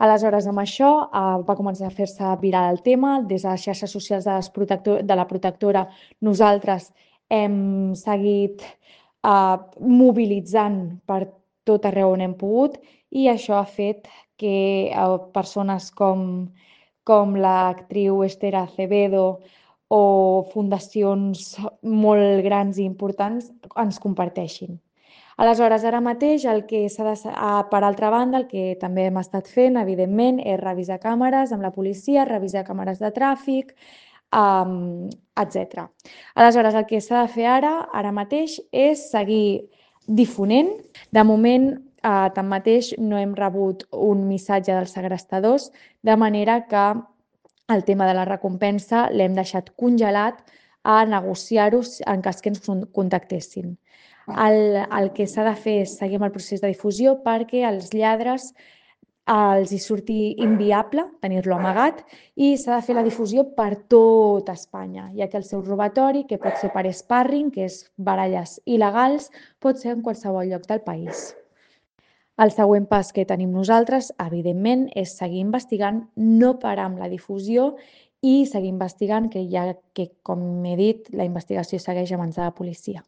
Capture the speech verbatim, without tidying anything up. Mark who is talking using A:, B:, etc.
A: Aleshores, amb això eh, va començar a fer-se viral el tema. Des de les xarxes socials de, les protector de la protectora, nosaltres hem seguit eh, mobilitzant per tot arreu on hem pogut i això ha fet que eh, persones com, com l'actriu Esther Acevedo o fundacions molt grans i importants ens comparteixin. Aleshores, ara mateix, el que s'ha de, ah, per altra banda, el que també hem estat fent, evidentment, és revisar càmeres amb la policia, revisar càmeres de tràfic, um, etcètera. Aleshores, el que s'ha de fer ara, ara mateix, és seguir difonent. De moment, eh, tanmateix, no hem rebut un missatge dels segrestadors, de manera que el tema de la recompensa l'hem deixat congelat a negociar-ho en cas que ens contactessin. El, el que s'ha de fer és seguir amb el procés de difusió perquè als lladres els hi surti inviable tenir-lo amagat i s'ha de fer la difusió per tot Espanya, ja que el seu robatori, que pot ser per sparring, que és baralles il·legals, pot ser en qualsevol lloc del país. El següent pas que tenim nosaltres, evidentment, és seguir investigant, no parar amb la difusió i seguir investigant, que ja que, com he dit, la investigació segueix a mans de la policia.